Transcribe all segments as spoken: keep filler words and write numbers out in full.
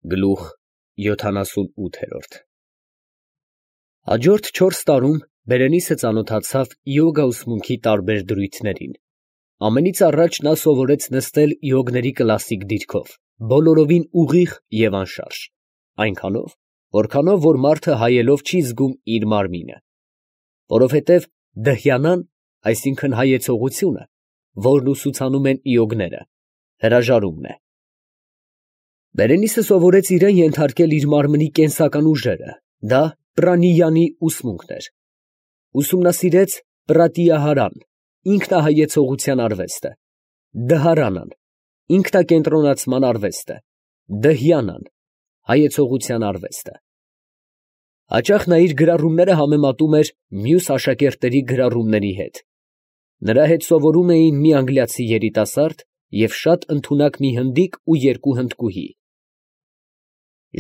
Գլուխ յոթանասունութ Հաջորդ չորս տարում Բերենիսը ծանոթացավ յոգա ուսմունքի տարբեր դրույթներին. ամենից առաջ նա սովորեց նստել յոգների կլասիկ դիրքով, բոլորովին ուղիղ և անշարժ, այնքանով, որքանով որ մարդը հայելով չի զգում իր մարմինը, որովհետև դհյանան, այսինքն հայեցողությունը, որն ուսուցանում են յոգները, հրաժարումն է։ Բերենիսը սովորեց իրան ենթարկել իր մարմնի կենսական ուժերը, դա պրանիյանի ուսմունքն էր, ուսումնասիրեց պրատիահարան, ինքնահայեցողության արվեստը, դհարանան, ինքնակենտրոնացման արվեստը, դհյանան, հայեցողության արվեստը։ Հաճախ նա իր գրառումները համեմատում էր մյուս աշակերտների գրառումների հետ. նրա հետ սովորում էին մի անգլիացի երիտասարդ և շատ ընդունակ մի հնդիկ ու երկու հնդկուհի։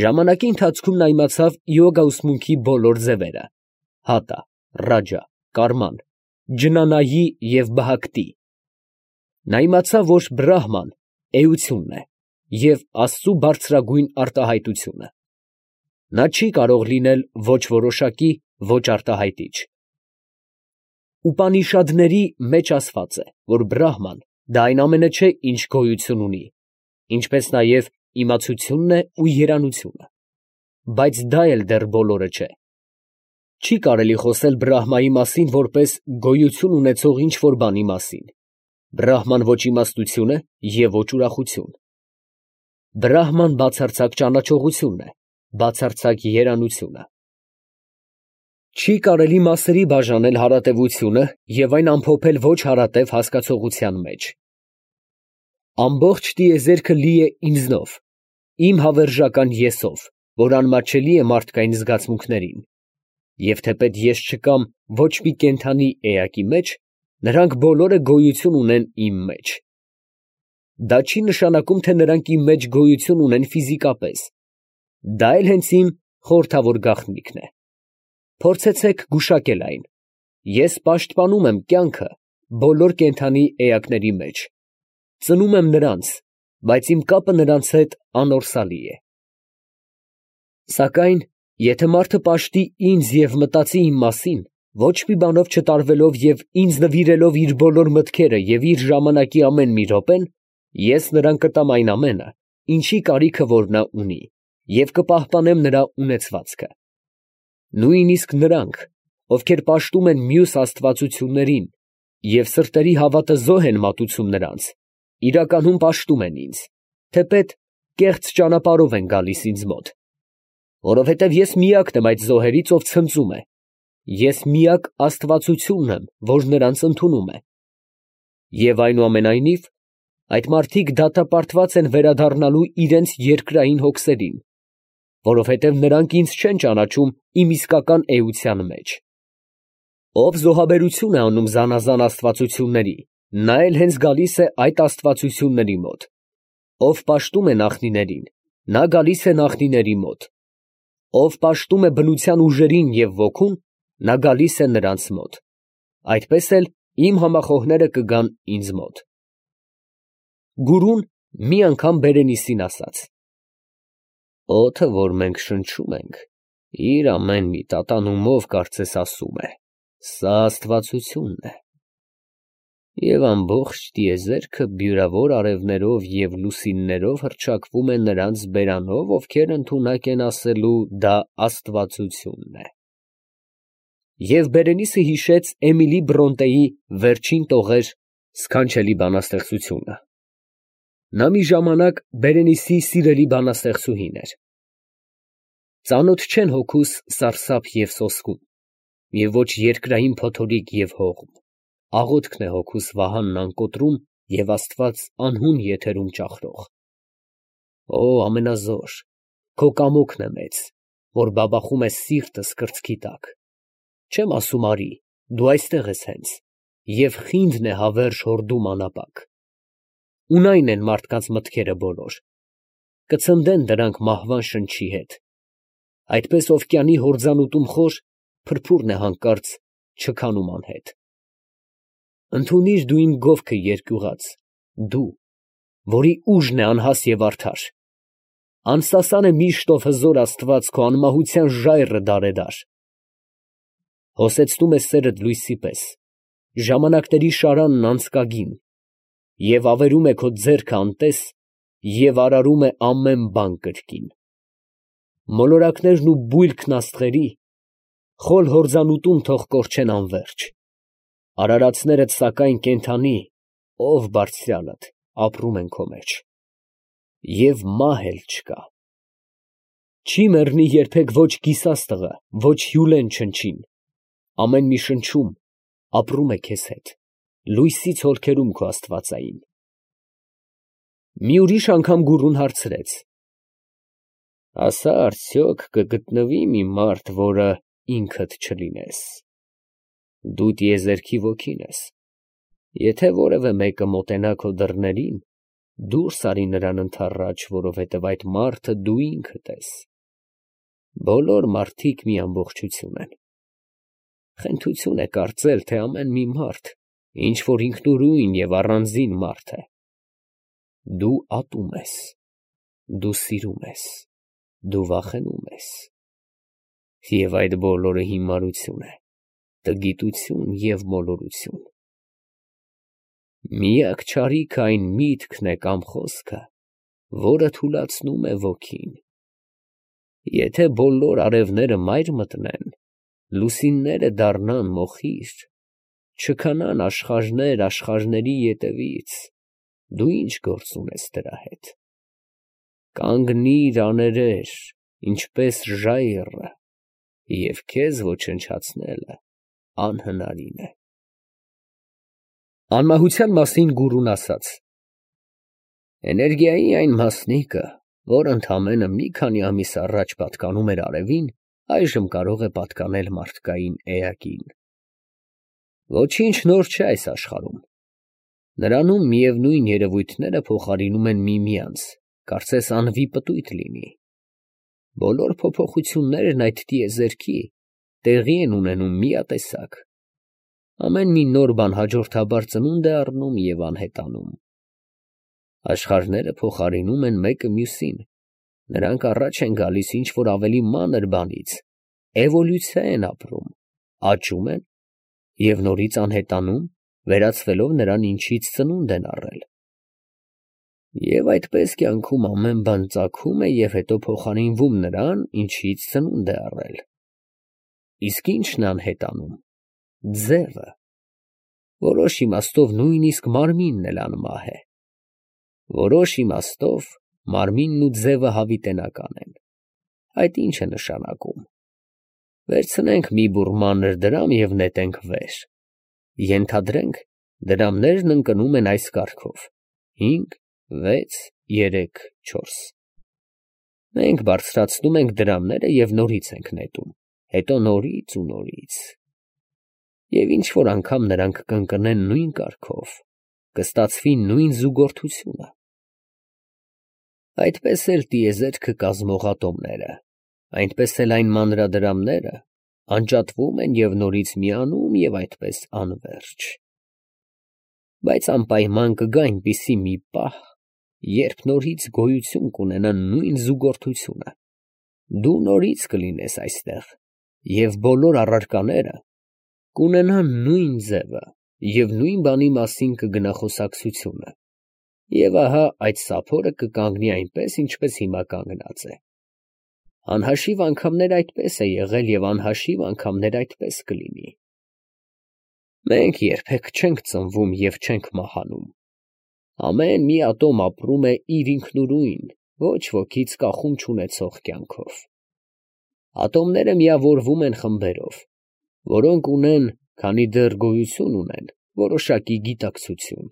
Ժամանակի ընթացքում նա իմացավ յոգա ուսմունքի բոլոր ձևերը՝ հատա, ռաջա, կարման, ջնանայի և բհակտի։ Նա իմացավ, որ բրահման էությունն է և Աստծու բարձրագույն արտահայտությունը։ Նա չի կարող լինել ոչ որոշակի, ոչ արտահայտիչ։ Ուպանիշադների մեջ ասված է, որ բրահման դա այն ամենը չէ, ինչ գոյություն ունի, ինչպես նաև իմացությունն է ու երանությունը, բայց դա էլ դեռ բոլորը չէ։ Չի կարելի խոսել բրահմայի մասին որպես գոյություն ունեցող ինչ֊որ բանի մասին. բրահման ոչ իմաստություն է և ոչ ուրախություն։ Բրահման բացարձակ ճանաչողությունն է, բացարձակ երանությունը։ Չի կարելի մասերի բաժանել հարատևությունը և այն ամփոփել ոչ հարատև հասկացողության մեջ։ Ամբողջ տիեզերքը լի է ինձնով, իմ հավերժական Եսով, որ անմատչելի է մարդկային զգացմունքներին, և թեպետ ես չկամ ոչ մի կենդանի էակի մեջ, նրանք բոլորը գոյություն ունեն իմ մեջ։ Դա չի նշանակում, թե նրանք իմ մեջ գոյություն ունեն ֆիզիկապես, դա էլ հենց իմ խորհրդավոր գաղտնիքն է։ Փորձեցեք գուշակել այն. ես պաշտպանում եմ կյանքը բոլոր կենդանի էակների մեջ, ծնում եմ նրանց, բայց իմ կապը նրանց հետ անորսալի է։ Սակայն եթե մարդը պաշտի ինձ և մտածի իմ մասին, ոչ մի բանով չտարվելով և ինձ նվիրելով իր բոլոր մտքերը և իր ժամանակի ամեն մի րոպեն, ես նրան կտամ այն ամենը, ինչի կարիքը որ նա ունի, և կպահպանեմ նրա ունեցվածքը։ Նույնիսկ նրանք, ովքեր պաշտում են մյուս աստվածություններին և սրտերի հավատը զոհ են մատուցում նրանց, իրականում պաշտում են ինձ, թեպետ կեղծ ճանապարհով են գալիս ինձ մոտ, որովհետև ես միակն եմ այդ զոհերից, ով ցնծում է, ես միակ աստվածությունն եմ, որ նրանց ընդունում է։ Եվ այնուամենայնիվ, այդ մարդիկ դատապարտված են վերադառնալու իրենց երկրային հոգսերին, որովհետև նրանք ինձ չեն ճանաչում իմ իսկական էության մեջ։ Ով զոհաբերություն է անում զանազան աստվածությունների, նա էլ հենց գալիս է այդ աստվածությունների մոտ։ Ով պաշտում է նախնիներին, նա գալիս է նախնիների մոտ։ Ով պաշտում է բնության ուժերին և ոգուն, նա գալիս է նրանց մոտ։ Այդպես էլ իմ համախոհները կգան ինձ մոտ։ Գուրուն մի անգամ Բերենիսին ասաց. «Օդը, որ մենք շնչում ենք, իր ամեն մի տատանումով կարծես ասում է. սա աստվածությունն է, և ամբողջ տիեզերքը բյուրավոր արևներով և լուսիններով հռչակվում է նրանց բերանով, ովքեր ընդունակ են ասելու դա աստվածությունն է»։ Եվ Բերենիսը հիշեց Էմիլի Բրոնտեի «Վերջին տողեր» սքանչելի բանաստեղծությունը։ Նա մի ժամանակ Բերենիսի սիրելի բանաստեղծուհին էր։ Ծանոթ չեն հոգուս սարսափ և սոսկում, և ոչ երկրային փոթորիկ և հողմ, աղոթքն է հոգուս վահանն անկոտրում և Աստված անհուն եթերում ճախրող։ Օ ամենազոր, քո կամոքն է մեծ, որ բաբախում է սիրտս կրծքի տակ, չեմ ասում արի, դու այստեղ ես հենց, և խինդն է հավերժ հորդում անապակ։ Ունայն են մարդկանց մտքերը բոլոր, կցնդեն դրանք մահվան շնչի հետ, այդպես օվկիանի հորձանուտում խոր, փրփուրն է հանկարծ չքանում անհետ։ Ընդունիր դու իմ գովքը երկյուղած, դու, որի ուժն է անհաս և արդար, Անսասան է միշտով հզոր Աստված քո անմահության ժայռը դարեդար։ Հոսեցնում է սերդ լույսի պես, ժամանակների շարանն անցկագին, և ավերում է քո ձեռքը անտես, և արարում է ամեն բան կրկին։ Մոլորակներն ու բույլքն աստղերի, խոլ հորձանուտում թող կորչեն անվերջ, արարածներդ սակայն կենդանի, ով Բարձրյալդ, ապրում են քո մեջ, և մահ էլ չկա։ Չի մեռնի երբեք ոչ կիսաստղը, ոչ հյուրեն չնչին, ամեն մի շնչում ապրում է քեզ հետ, լույսից հոլքերում քո աստվածային։ Մի ուրիշ անգամ գուրուն հարցրեց. ասա արդյոք կգտնվի մի մարդ, որը ինքդ չլինես. դու տիեզերքի ոգին ես, եթե որևէ մեկը մոտենա քո դռներին, դուրս արի նրան ընդառաջ, որովհետև այդ մարդը դու ինքդ ես։ Բոլոր մարդիկ մի ամբողջություն են։ Խենթություն է կարծել, թե ամեն մի մարդ ինչ որ ինքնուրույն և առանձին մարդ է։ Դու ատում ես, դու սիրում ես, դու վախենում ես, և այդ բոլորը հիմարություն է, տգիտություն և մոլորություն։ Միակ չարիքը այն միտքն է կամ խոսքը, որը թուլացնում է ոգին։ Եթե բոլոր արևները մայր մտնեն, լուսինները դառնան մոխիր, չքանան աշխարհներ աշխարհների ետևից, դու ի՞նչ գործ ունես դրա հետ։ Կանգնիր աներեր, ինչպես ժայռը, և քեզ ոչնչացնելը անհնարին է։ Անմահության մասին գուրուն ասաց. էներգիայի այն մասնիկը, որ ընդամենը մի քանի ամիս առաջ պատկանում էր արևին, այժմ կարող է պատկանել մարդկային էակին։ Ոչինչ նոր չէ այս աշխարհում։ Նրանում միևնույն երևույթները փոխարինում են միմյանց, կարծես անվի պտույտ լինի։ Բոլոր փոփոխություններն այդ տիեզերքի տեղի են ունենում միատեսակ։ Ամեն մի նոր բան հաջորդաբար ծնունդ է առնում և անհետանում։ Աշխարհները փոխարինում են մեկը մյուսին, նրանք առաջ են գալիս ինչ-որ ավելի մանր բանից, էվոլյուցիա են ապրում, աճում են և նորից անհետանում, վերածվելով նրան, ինչից ծնունդ են առել։ Եվ այդպես կյանքում ամեն բան ծագում է և հետո փոխարինվում նրան, ինչից ծնունդ է առել։ Իսկ ի՞նչն է անհետանում։ Ձևը։ Որոշ իմաստով նույնիսկ մարմինն էլ անմահ է։ Որոշ իմաստով մարմինն ու ձևը հավիտենական են։ Այդ ի՞նչ է նշանակում։ Վերցնենք մի բուռ մանր դրամ և նետենք վեր։ Ենթադրենք, դրամներն ընկնում են այս կարգով. հինգ, վեց, երեք, չորս։ Մենք բարձրացնում ենք դրամները և նորից ենք նետում, հետո նորից ու նորից։ Եվ ինչ֊որ անգամ նրանք կընկնեն նույն կարգով, կստացվի նույն զուգորդությունը։ Այդպես էլ տիեզերքը կազմող ատոմները, այնպես էլ այն մանրադրամները անջատվում են և նորից միանում և այդպես անվերջ։ Բայց անպայման կգա այնպիսի մի պահ, երբ նորից գոյություն կունենա նույն զուգորդությունը, դու նորից կլինես այստեղ, և բոլոր առարկաները կունենան նույն ձևը, և նույն բանի մասին կգնա խոսակցությունը, և ահա այդ սափորը կկանգնի այնպես, ինչպես հիմա կանգնած է։ Անհաշիվ անգամներ այդպես է եղել և անհաշիվ անգամներ այդպես կլինի։ Մենք երբեք չենք ծնվում և չենք մահանում։ Ամեն մի ատոմ ապրում է իր ինքնուրույն, ոչ wokից կախում չունեցող կյանքով։ Ատոմները միավորվում են խմբերով, որոնք ունեն, քանի դեռ գոյություն ունեն, որոշակի գիտակցություն։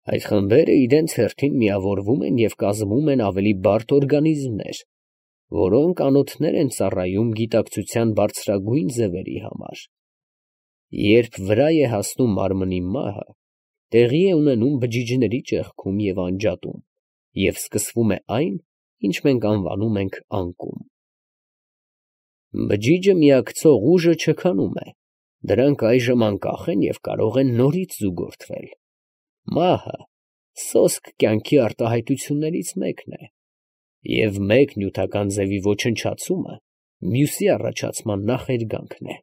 Այդ խմբերը իրենց հերթին միավորվում են և կազմում են ավելի բարդ օրգանիզմներ, որոնք անոթներ են ծառայում գիտակցության բարձրագույն ձևերի համար։ Երբ վրա է հասնում մարմնի մահը, տեղի է ունենում բջիջների ճեղքում և անջատում, և սկսվում է այն, ինչ մենք անվանում ենք անկում։ Բջիջը միակցող ուժը չքանում է, դրանք այժմ անկախ են և կարող են նորից զուգորդվել։ Մահը սոսկ կյանքի արտահայտություններից մեկն է։ Եվ մեկ նյութական ձևի ոչնչացումը մյուսի առաջացման նախերգանքն է։